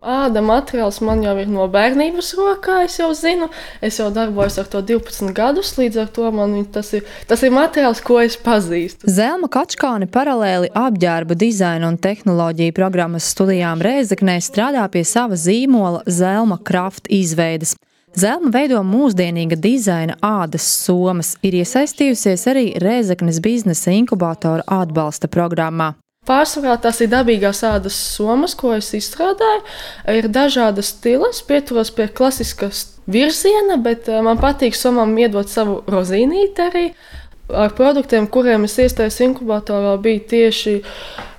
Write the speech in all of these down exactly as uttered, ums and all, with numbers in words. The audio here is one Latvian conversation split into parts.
Āda materiāls man jau ir no bērnības rokā, es jau zinu. Es jau darbojos ar to divpadsmit gadus, līdz ar to man tas ir, tas ir materiāls, ko es pazīstu. Zelma Kačkāne paralēli apģērba dizaina un tehnoloģiju programmas studijām Rēzeknē strādā pie sava zīmola Zelma Kraft izveides. Zelma veido mūsdienīga dizaina ādas somas, ir iesaistījusies arī Rēzeknes biznesa inkubātora atbalsta programmā. Pārsvarā tās ir dabīgās ādas somas, ko es izstrādāju. Ir dažādas stilas, pieturos pie klasiskas virziena, bet man patīk somām iedot savu rozīnīti arī. Ar produktiem, kuriem es iestājos inkubatorā, bija tieši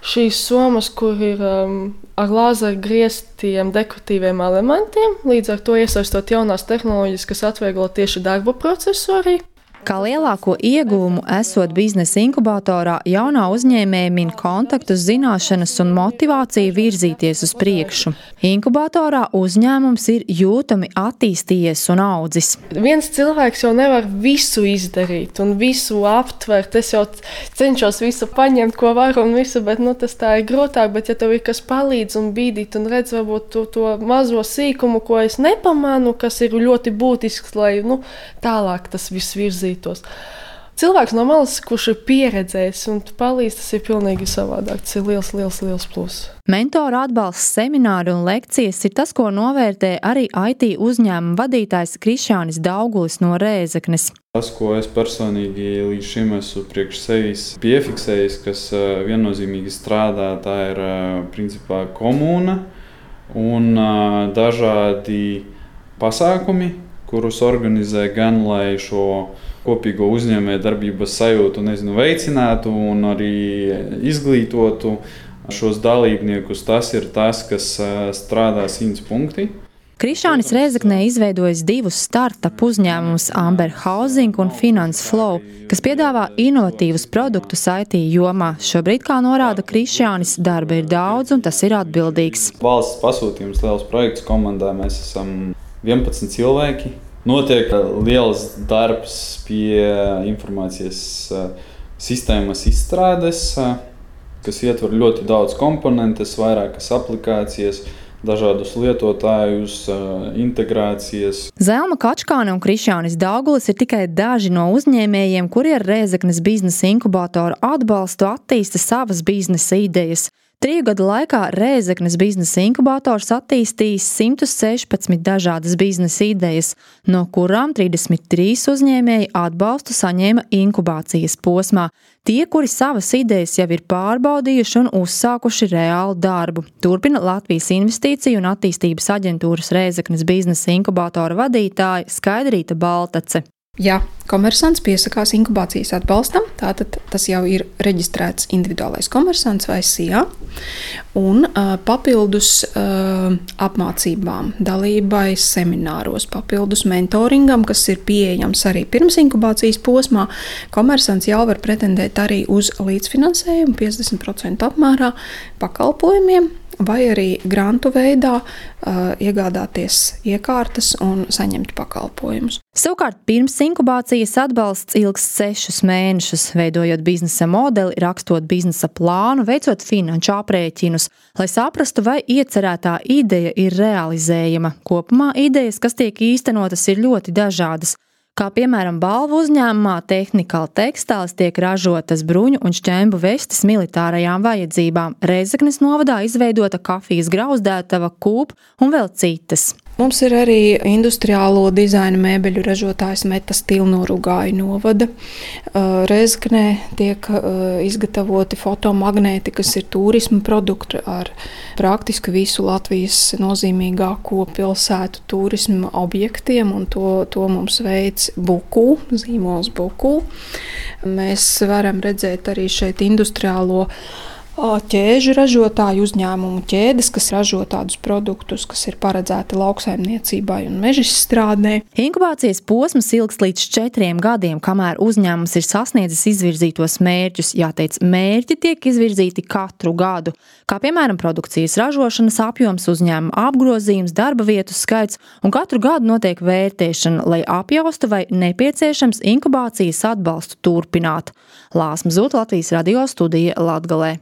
šīs somas, kur ir um, ar lāzeru grieztiem dekoratīviem elementiem. Līdz ar to iesaistot jaunās tehnoloģijas, kas atvieglo tieši darba procesu arī. Kā lielāko ieguvumu esot biznesa inkubatorā, jaunā uzņēmēja min kontaktus, zināšanas un motivāciju virzīties uz priekšu. Inkubatorā uzņēmums ir jūtami attīstījies un audzis. Viens cilvēks jau nevar visu izdarīt un visu aptvert. Es jau cenšos visu paņemt, ko varu un visu, bet nu, tas tā ir grūtāk. Bet ja tev ir kas palīdz un bīdīt un redz varbūt to, to mazo sīkumu, ko es nepamanu, kas ir ļoti būtisks, lai nu, tālāk tas viss virzītos. Cilvēks no malas, kurš ir pieredzējis un palīdz, tas ir pilnīgi savādāk. Tas ir liels, liels, liels plus. Mentora atbalsts, semināri un lekcijas ir tas, ko novērtē arī I T uzņēmuma vadītājs Krišjānis Daugulis no Rēzeknes. Tas, ko es personīgi līdz šim esmu priekš sevis piefiksējis, kas viennozīmīgi strādā, tā ir principā komūna un dažādi pasākumi, kurus organizē gan, lai šo kopīgo uzņēmēju darbības sajūtu nezinu, veicinātu un arī izglītotu šos dalībniekus. Tas ir tas, kas strādā simts punkti. Krišjānis Rēzeknē izveidojis divus startup uzņēmumus Amber Housing un Finance Flow, kas piedāvā inovatīvus produktus I T jomā. Šobrīd, kā norāda Krišjānis, darba ir daudz un tas ir atbildīgs. Valsts pasūtījums liels projekts komandā, mēs esam vienpadsmit cilvēki. Notiek liels darbs pie informācijas sistēmas izstrādes, kas ietver ļoti daudz komponentes, vairākas aplikācijas, dažādus lietotājus, integrācijas. Zelma Kačkāne un Krišjānis Daugulis ir tikai daži no uzņēmējiem, kuri ar Rēzeknes biznesa inkubātoru atbalstu attīsta savas biznesa idejas. Triju gadu laikā Rēzeknes biznesa inkubators attīstījis simt sešpadsmit dažādas biznesa idejas, no kurām trīsdesmit trīs uzņēmēji atbalstu saņēma inkubācijas posmā. Tie, kuri savas idejas jau ir pārbaudījuši un uzsākuši reālu darbu, turpina Latvijas Investīciju un attīstības aģentūras Rēzeknes biznesa inkubatora vadītāja Skaidrīta Baltace. Ja komersants piesakās inkubācijas atbalstam, tātad tas jau ir reģistrēts individuālais komersants vai S I A, un uh, papildus uh, apmācībām, dalībai semināros, papildus mentoringam, kas ir pieejams arī pirms inkubācijas posmā, komersants jau var pretendēt arī uz līdzfinansējumu piecdesmit procentu apmērā pakalpojumiem, vai arī grantu veidā uh, iegādāties iekārtas un saņemt pakalpojumus. Savukārt pirms inkubācijas atbalsts ilgs sešus mēnešus, veidojot biznesa modeli, rakstot biznesa plānu, veicot finanšu aprēķinus, lai saprastu, vai iecerētā ideja ir realizējama. Kopumā idejas, kas tiek īstenotas, ir ļoti dažādas. Kā piemēram balvu uzņēmumā Technical Textiles tiek ražotas bruņu un šķembu vestes militārajām vajadzībām. Rēzeknes novadā izveidota kafijas grauzdētava, kūp un vēl citas. Mums ir arī industriālo dizaina mēbeļu ražotājs Meta Steel no Rugāju novada. Rēzeknē tiek izgatavoti fotomagnēti, kas ir turisma produkti ar praktiski visu Latvijas nozīmīgāko pilsētu turisma objektiem, un to, to mums veids Buku, zīmols Buku. Mēs varam redzēt arī šeit industriālo ķēžu ražotāju uzņēmumu ķēdes, kas ražo tādus produktus, kas ir paredzēti lauksaimniecībai un mežizstrādē. Inkubācijas posms ilgs līdz četriem gadiem, kamēr uzņēmums ir sasniedzis izvirzītos mērķus. Jāteic, mērķi tiek izvirzīti katru gadu, kā piemēram produkcijas ražošanas apjoms, uzņēmuma apgrozījums, darba vietu skaits, un katru gadu notiek vērtēšana, lai apjaustu, vai nepieciešams inkubācijas atbalstu turpināt. Lāsma Zūta, Latvijas radio studija Latgalē.